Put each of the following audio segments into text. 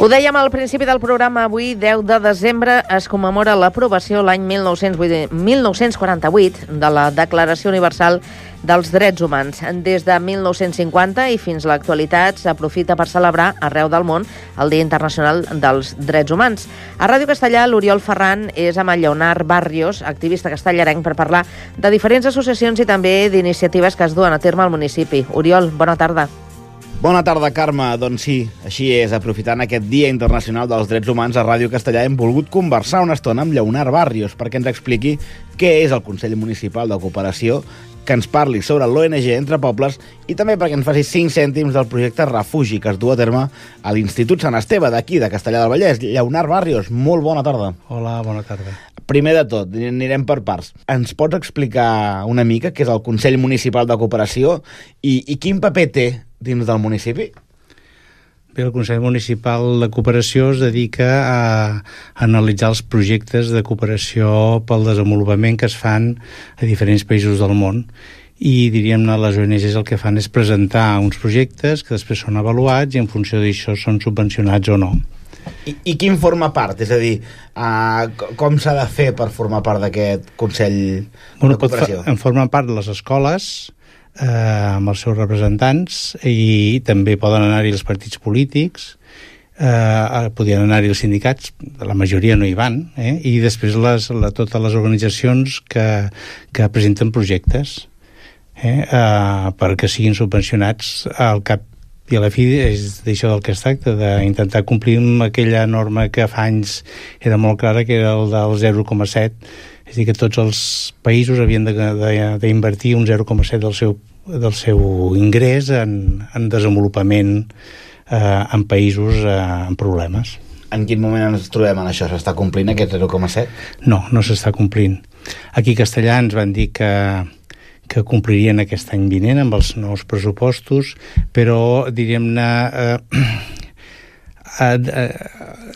Ho dèiem al principi del programa, avui, 10 de desembre, es commemora l'aprovació l'any 1948 de la Declaració Universal dels Drets Humans. Des de 1950 i fins a l'actualitat s'aprofita per celebrar arreu del món el Dia Internacional dels Drets Humans. A Ràdio Castellà, l'Oriol Ferran és amb el Lleonard Barrios, activista castellarenc, per parlar de diferents associacions i també d'iniciatives que es duen a terme al municipi. Oriol, bona tarda. Bona tarda, Carme. Doncs sí, així és. Aprofitant aquest Dia Internacional dels Drets Humans, a Ràdio Castellà hem volgut conversar una estona amb Lleonard Barrios perquè ens expliqui què és el Consell Municipal de Cooperació, que ens parli sobre l'ONG Entre Pobles i també perquè ens faci 5 cèntims del projecte Refugi que es du a terme a l'Institut Sant Esteve d'aquí, de Castellà del Vallès. Lleonard Barrios, molt bona tarda. Hola, bona tarda. Primer de tot, anirem per parts. Ens pots explicar una mica què és el Consell Municipal de Cooperació i quin paper té dins del municipi? Bé, el Consell Municipal de Cooperació es dedica a analitzar els projectes de cooperació pel desenvolupament que es fan a diferents països del món. I, diríem-ne, les ONGs el que fan és presentar uns projectes que després són avaluats i en funció d'això són subvencionats o no. I quin forma part? És a dir, com s'ha de fer per formar part d'aquest Consell de Cooperació? En formen part les escoles, amb els seus representants, i també poden anar-hi els partits polítics, podien anar-hi els sindicats, la majoria no hi van, i després totes les organitzacions que presenten projectes perquè siguin subvencionats. Al cap i a la fi és d'això del que es tracta, d'intentar complir amb aquella norma que fa anys era molt clara, que era el del 0,7. És a dir, que tots els països havien d'invertir un 0,7 del seu ingrés en desenvolupament en països amb problemes. En quin moment ens trobem en això? S'està complint aquest 0,7? No s'està complint. Aquí a Castellà ens van dir que complirien aquest any vinent amb els nous pressupostos, però, diríem-ne,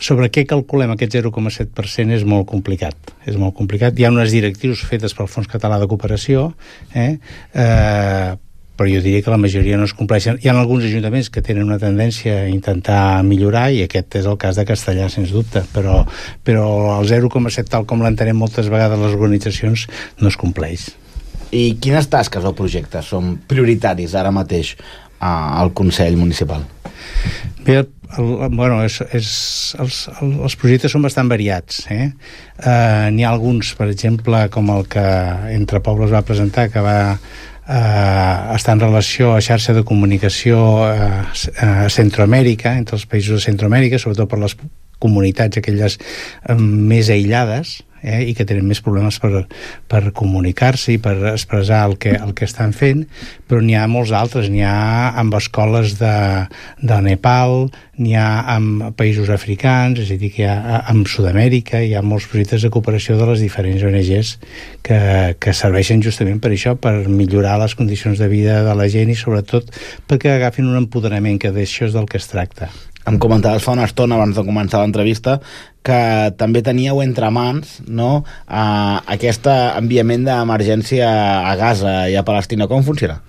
sobre què calculem aquest 0,7% és molt complicat. És molt complicat. Hi ha unes directrius fetes pel Fons Català de Cooperació, però jo diria que la majoria no es compleixen. Hi ha alguns ajuntaments que tenen una tendència a intentar millorar, i aquest és el cas de Castellà, sens dubte, però el 0,7, tal com l'entenem moltes vegades les organitzacions, no es compleix. I quines tasques o projectes són prioritaris ara mateix al Consell Municipal? Bé, els projectes són bastant variats. N'hi ha alguns, per exemple, com el que Entre Pobles va presentar, que va estar en relació a xarxa de comunicació a Centroamèrica, entre els països de Centroamèrica, sobretot per les comunitats aquelles més aïllades, i que tenen més problemes per comunicar-se i per expressar el que estan fent, però n'hi ha molts altres. N'hi ha amb escoles de Nepal, n'hi ha amb països africans, és a dir, que hi ha amb Sud-amèrica, hi ha molts projectes de cooperació de les diferents ONGs que serveixen justament per això, per millorar les condicions de vida de la gent i sobretot perquè agafin un empoderament, que d'això és del que es tracta. Em comentaves fa una estona, abans de començar l'entrevista, que també teníeu entre mans, no, aquest enviament d'emergència a Gaza i a Palestina. Com funciona?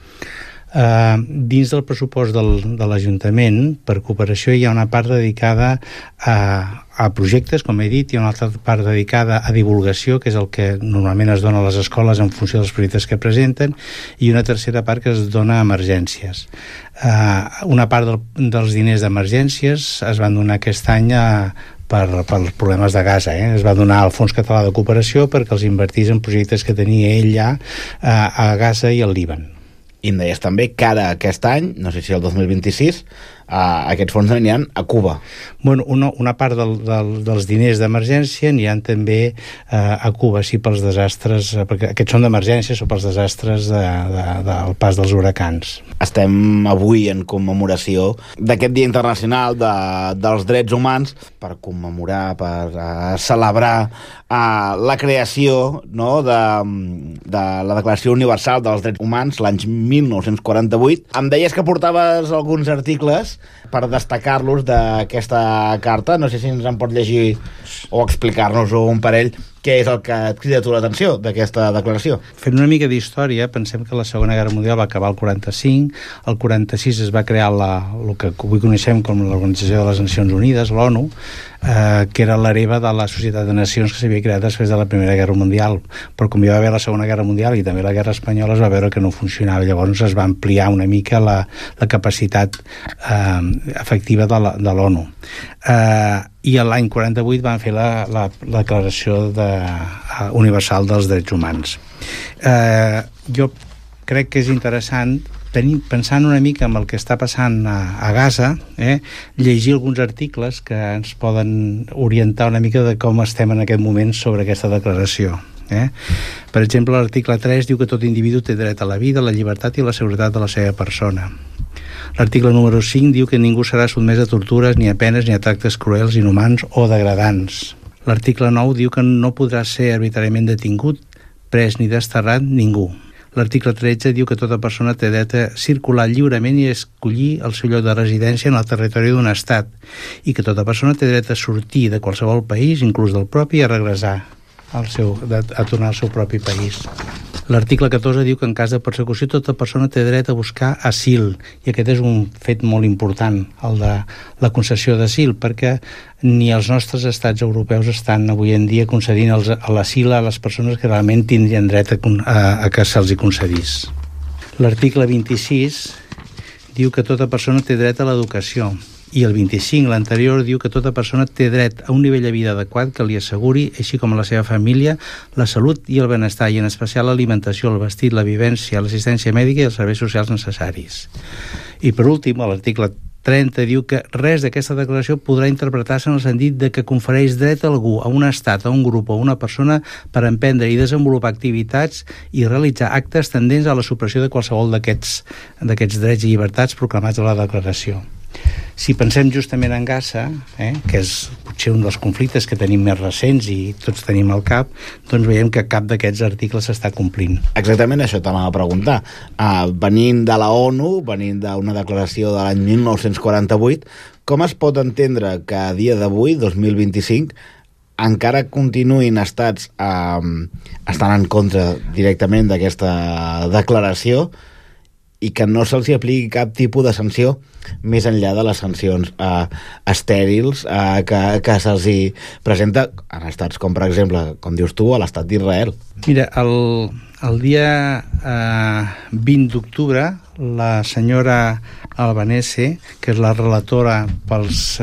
Dins del pressupost de l'Ajuntament, per cooperació, hi ha una part dedicada a projectes, com he dit, hi ha una altra part dedicada a divulgació, que és el que normalment es dona a les escoles en funció dels projectes que presenten, i una tercera part que es dona a emergències. Una part dels diners d'emergències es van donar aquest any pels problemes de Gaza. Es va donar al Fons Català de Cooperació perquè els invertís en projectes que tenia ell ja a Gaza i al Líban. I em deies també que ara aquest any, no sé si el 2026, aquests fons aniran a Cuba. Bueno, una part dels diners d'emergència aniran també a Cuba, sí, pels desastres, perquè aquests són d'emergència, són pels desastres del pas dels huracans. Estem avui en commemoració d'aquest Dia Internacional dels Drets Humans, per commemorar, per celebrar la creació, no, de la Declaració Universal dels Drets Humans l'any 1948. Em deies que portaves alguns articles per destacar-los d'aquesta carta. No sé si ens en pot llegir o explicar-nos un parell què és el que et crida tu l'atenció d'aquesta declaració. Fent una mica d'història, pensem que la Segona Guerra Mundial va acabar el 45, el 46 es va crear el que avui coneixem com l'Organització de les Nacions Unides, l'ONU, que era l'hereva de la Societat de Nacions que s'havia creat després de la Primera Guerra Mundial. Però com hi va haver la Segona Guerra Mundial i també la Guerra Espanyola, es va veure que no funcionava. Llavors es va ampliar una mica la capacitat efectiva de l'ONU. I l'any 48 van fer la Declaració Universal dels Drets Humans. Jo crec que és interessant, pensant una mica en el que està passant a Gaza, llegir alguns articles que ens poden orientar una mica de com estem en aquest moment sobre aquesta declaració. Per exemple, l'article 3 diu que tot individu té dret a la vida, la llibertat i la seguretat de la seva persona. L'article número 5 diu que ningú serà sotmès a tortures, ni a penes, ni a tractes cruels, inhumans o degradants. L'article 9 diu que no podrà ser arbitràriament detingut, pres ni desterrat ningú. L'article 13 diu que tota persona té dret a circular lliurement i a escollir el seu lloc de residència en el territori d'un estat, i que tota persona té dret a sortir de qualsevol país, inclús del propi, i a regressar a tornar al seu propi país. L'article 14 diu que en cas de persecució tota persona té dret a buscar asil, i aquest és un fet molt important, el de la concessió d'asil, perquè ni els nostres estats europeus estan avui en dia concedint l'asil a les persones que realment tindrien dret a que se'ls hi concedís. L'article 26 diu que tota persona té dret a l'educació, i el 25, l'anterior, diu que tota persona té dret a un nivell de vida adequat que li asseguri, així com a la seva família, la salut i el benestar, i en especial l'alimentació, el vestit, la vivència, l'assistència mèdica i els serveis socials necessaris. I per últim, l'article 30 diu que res d'aquesta declaració podrà interpretar-se en el sentit de que confereix dret a algú, a un estat, a un grup o a una persona per emprendre i desenvolupar activitats i realitzar actes tendents a la supressió de qualsevol d'aquests drets i llibertats proclamats a la declaració. Si pensem justament en Gaza, que és potser un dels conflictes que tenim més recents i tots tenim al cap, doncs veiem que cap d'aquests articles s'està complint. Exactament això t'anava a preguntar. Venint de la ONU, venint d'una declaració de l'any 1948, com es pot entendre que a dia d'avui, 2025, encara continuïn estats estan en contra directament d'aquesta declaració i que no se'ls apliqui cap tipus de sanció més enllà de les sancions estèrils que se'ls presenta en estats com, per exemple, com dius tu, a l'estat d'Israel. Mira, el dia 20 d'octubre, la senyora Albanese, que és la relatora pels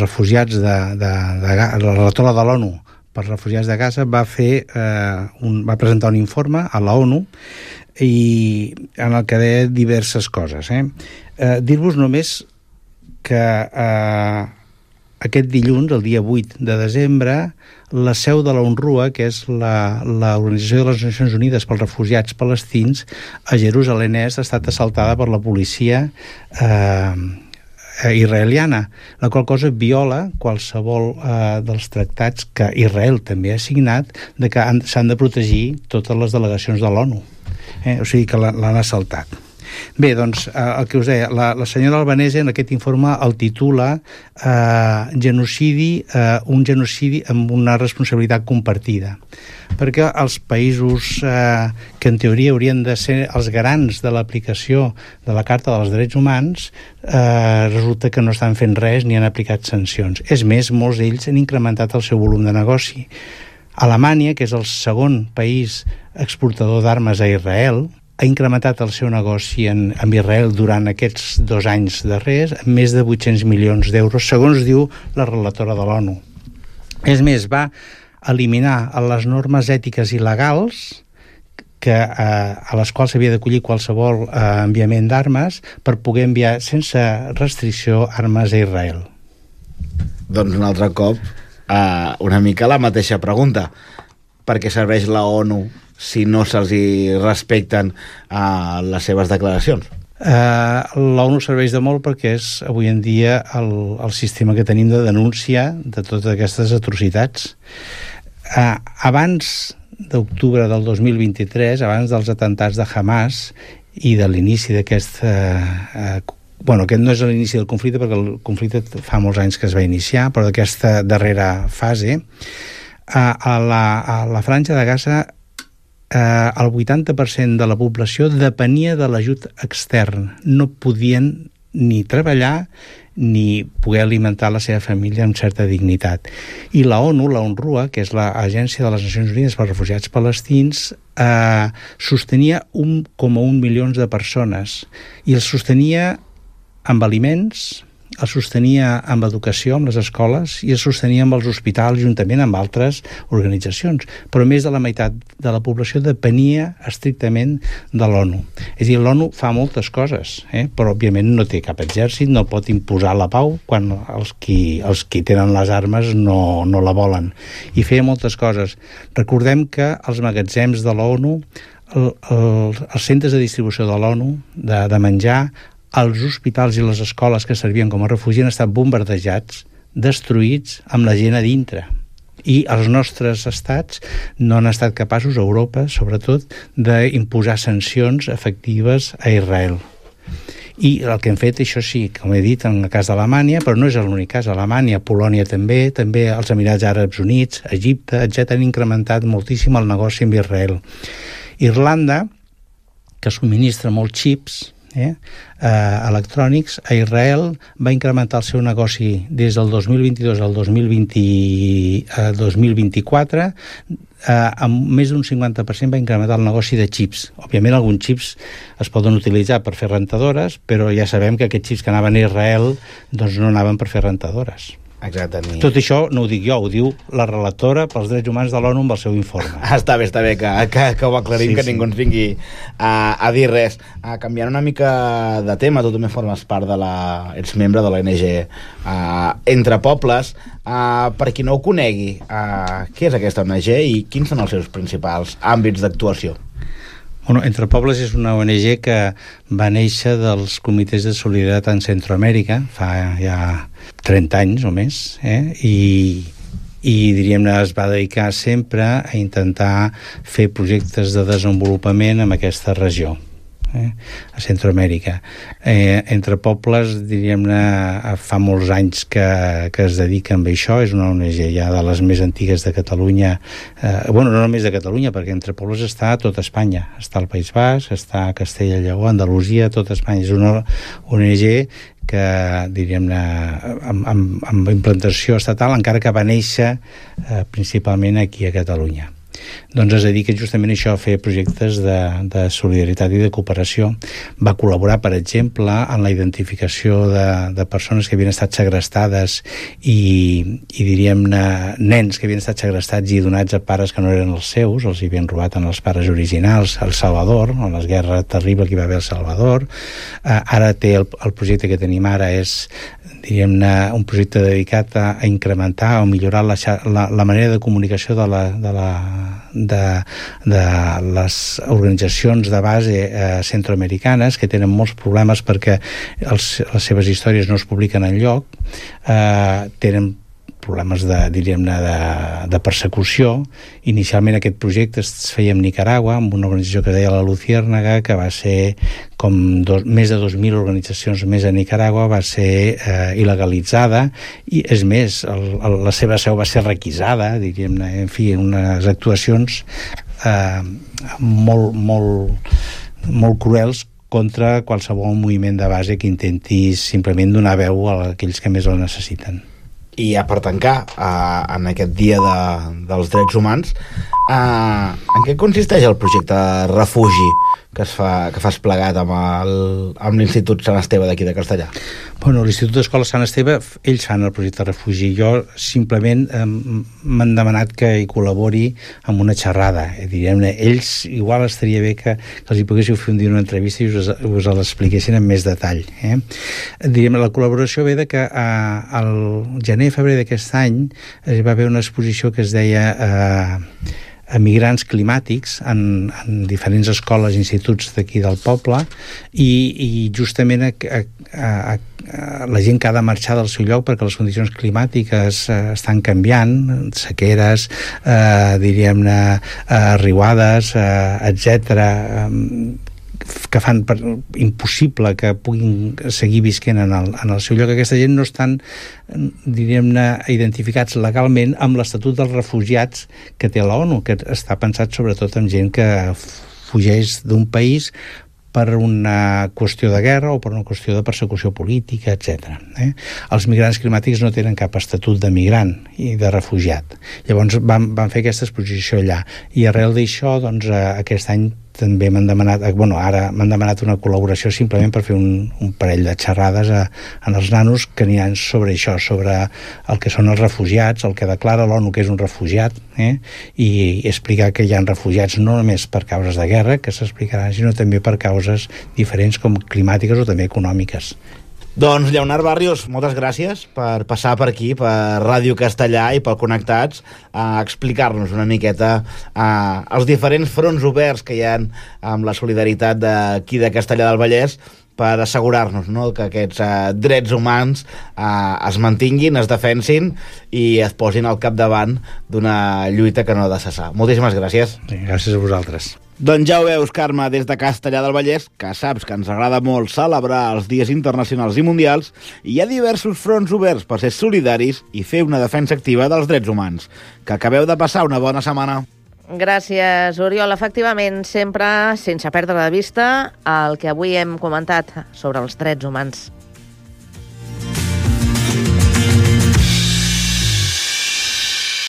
refugiats la relatora de l'ONU pels refugiats de Gaza, va presentar un informe a la ONU i en el que deia diverses coses. Dir-vos només que aquest dilluns, el dia 8 de desembre, la seu de la UNRWA, que és l'Organització de les Nacions Unides pels Refugiats Palestins, a Jerusalem Est, ha estat assaltada per la policia israeliana, la qual cosa viola qualsevol dels tractats que Israel també ha signat de que s'han de protegir totes les delegacions de l'ONU. O sigui que l'han assaltat. Bé, doncs, el que us deia, la senyora Albanese en aquest informe el titula genocidi, un genocidi amb una responsabilitat compartida, perquè els països que en teoria haurien de ser els garants de l'aplicació de la Carta dels Drets Humans resulta que no estan fent res ni han aplicat sancions. És més, molts d'ells han incrementat el seu volum de negoci. Alemanya, que és el segon país exportador d'armes a Israel, ha incrementat el seu negoci amb Israel durant aquests 2 anys darrers amb més de 800 milions d'euros, segons diu la relatora de l'ONU. És més, va eliminar les normes ètiques i legals a les quals s'havia d'acollir qualsevol enviament d'armes per poder enviar sense restricció armes a Israel. Doncs un altre cop, una mica la mateixa pregunta. Per què serveix la ONU si no se'ls respecten les seves declaracions? L'ONU serveix de molt perquè és avui en dia el sistema que tenim de denúncia de totes aquestes atrocitats. Abans d'octubre del 2023, abans dels atentats de Hamas i de l'inici d'aquest aquest no és l'inici del conflicte, perquè el conflicte fa molts anys que es va iniciar, però d'aquesta darrera fase, a la Franja de Gaza, el 80% de la població depenia de l'ajut extern. No podien ni treballar ni poder alimentar la seva família amb certa dignitat. I la ONU, la UNRWA, que és l'Agència de les Nacions Unides pels Refugiats Palestins, sostenia 1,1 milions de persones, i els sostenia amb aliments, els sostenia amb educació, amb les escoles, i els sostenia amb els hospitals, juntament amb altres organitzacions. Però més de la meitat de la població depenia estrictament de l'ONU. És a dir, l'ONU fa moltes coses, però òbviament no té cap exèrcit, no pot imposar la pau quan els qui tenen les armes no la volen. I feia moltes coses. Recordem que els magatzems de l'ONU, els centres de distribució de l'ONU, de menjar, els hospitals i les escoles que servien com a refugi han estat bombardejats, destruïts, amb la gent a dintre. I els nostres estats no han estat capaços, a Europa sobretot, d'imposar sancions efectives a Israel. I el que hem fet, això sí, com he dit, en el cas d'Alemanya, però no és l'únic cas, Alemanya, Polònia també els Emirats Àrabs Units, Egipte, etc., han incrementat moltíssim el negoci amb Israel. Irlanda, que subministra molts xips, electrònics, a Israel va incrementar el seu negoci des del 2022 al 2024 amb més d'un 50% va incrementar el negoci de xips. Òbviament alguns xips es poden utilitzar per fer rentadores, però ja sabem que aquests xips que anaven a Israel doncs no anaven per fer rentadores. Exactament. Tot això no ho dic jo, ho diu la relatora pels drets humans de l'ONU amb el seu informe. Està bé que ho aclarim, sí, que ningú ens vingui a dir res. Canviant una mica de tema, tu també formes part ets membre de l'ONG Entre Pobles. Per qui no ho conegui, què és aquesta ONG i quins són els seus principals àmbits d'actuació? Entre Pobles és una ONG que va néixer dels comitès de solidaritat en Centroamèrica fa ja 30 anys o més, i diríem-ne es va dedicar sempre a intentar fer projectes de desenvolupament en aquesta regió, a Centroamèrica. Entre Pobles, diríem-ne, fa molts anys que es dediquen a això. És una ONG ja de les més antigues de Catalunya, no només de Catalunya, perquè Entre Pobles està a tota Espanya, està al País Basc, està a Castella i Lleó, Andalusia, tota Espanya. És una ONG que, diríem-ne, amb implantació estatal, encara que va néixer principalment aquí a Catalunya. Doncs es dedica justament això, a fer projectes de solidaritat i de cooperació. Va col·laborar, per exemple, en la identificació de persones que havien estat segrestades i diríem-ne, nens que havien estat segrestats i donats a pares que no eren els seus, els havien robat en els pares originals, al Salvador, en la guerra terrible que hi va haver al Salvador. Ara el projecte que tenim ara és, diríem-ne, un projecte dedicat a incrementar o millorar la manera de comunicació de les organitzacions de base centroamericanes, que tenen molts problemes perquè les seves històries no es publiquen enlloc, tenen problemes de persecució. Inicialment aquest projecte es feia a Nicaragua amb una organització que es deia la Luciérnaga, que va ser com més de 2.000 organitzacions més a Nicaragua, va ser il·legalitzada, i és més, la seva seu va ser requisada, diríem-ne, en fi, unes actuacions molt cruels contra qualsevol moviment de base que intenti simplement donar veu a aquells que més el necessiten. I per tancar, en aquest dia dels drets humans, en què consisteix el projecte Refugi que fas plegat amb l'Institut Sant Esteve d'aquí de Castellar? L'Institut d'Escola Sant Esteve, ells fan el projecte Refugi. Jo simplement m'han demanat que hi col·labori amb una xerrada. Diríem-ne, ells igual estaria bé que els hi poguéssiu fer un dia una entrevista i us l'expliquessin amb més detall. Diríem, la col·laboració ve de que al gener-febrer d'aquest any va haver una exposició que es deia Emigrants climàtics en diferents escoles i instituts d'aquí del poble, i justament la gent que ha de marxar del seu lloc perquè les condicions climàtiques estan canviant, sequeres, diríem-ne, riuades, etc., que fan impossible que puguin seguir visquent en el seu lloc. Aquesta gent no estan, diríem-ne, identificats legalment amb l'Estatut dels Refugiats que té l'ONU, que està pensat sobretot en gent que fugeix d'un país per una qüestió de guerra o per una qüestió de persecució política, etc. Els migrants climàtics no tenen cap estatut de migrant i de refugiat. Llavors van fer aquesta exposició allà. I arrel d'això, doncs, aquest any també m'han demanat, ara m'han demanat una col·laboració simplement per fer un parell de xerrades en els nanos que aniran sobre això, sobre el que són els refugiats, el que declara l'ONU que és un refugiat, i explicar que hi ha refugiats no només per causes de guerra, que s'explicaran, sinó també per causes diferents com climàtiques o també econòmiques. Doncs, Lleonard Barrios, moltes gràcies per passar per aquí, per Ràdio Castellà i pel Connectats, a explicar-nos una miqueta els diferents fronts oberts que hi ha amb la solidaritat d'aquí de Castellà del Vallès per assegurar-nos, no?, que aquests drets humans es mantinguin, es defensin i es posin al capdavant d'una lluita que no ha de cessar. Moltíssimes gràcies. Sí, gràcies a vosaltres. Doncs ja ho veus, Carme, des de Castellà del Vallès, que saps que ens agrada molt celebrar els dies internacionals i mundials, i hi ha diversos fronts oberts per ser solidaris i fer una defensa activa dels drets humans. Que acabeu de passar una bona setmana. Gràcies, Oriol. Efectivament, sempre sense perdre de vista el que avui hem comentat sobre els drets humans.